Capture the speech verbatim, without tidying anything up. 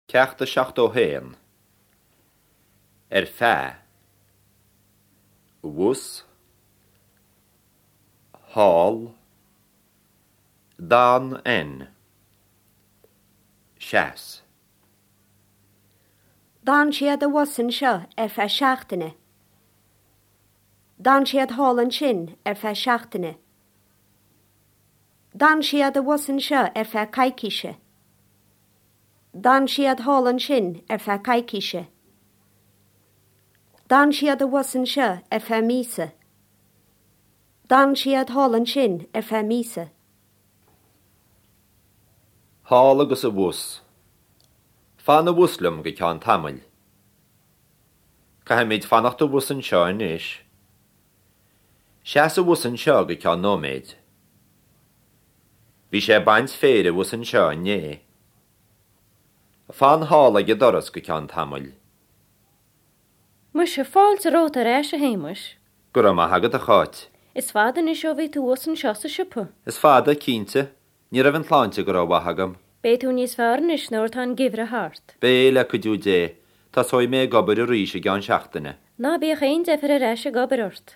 Ceacht a seachtó haon. Ar feadh. Abhus. Thall. D'fhan N. Seas. D'fhan siad abhus anseo ar feadh seachtaine. D'fhan siad thall ansin ar feadh seachtaine. D'fhan siad abhus anseo ar feadh coicíse. D'fhan siad thall ansin ar feadh coicíse. D'fhan siad abhus anseo ar feadh míosa. D'fhan siad thall ansin ar feadh míosa. Thall agus abhus. Fan abhus liom go ceann tamaill. Caithfimid fanacht abhus anseo anois. Seas abhus anseo go ceann nóiméid. Bhí sé ag baint féir abhus anseo inné. Fan thall ag an doras go ceann tamaill. Muise fáilte romhat ar ais a Shéamais. Go raibh maith agat a Cháit. Is fada anois ó bhí tú abhus anseo sa siopa. Is fada, cinnte, ní raibh an tsláinte go rómhaith agam. Beidh tú níos fearr anois nuair atá an geimhreadh thart. Beidh le cuidiú Dé, tosóidh mé ag obair arís i gceann seachtaine. Ná bíodh aon deifir ar ais ag obair ort.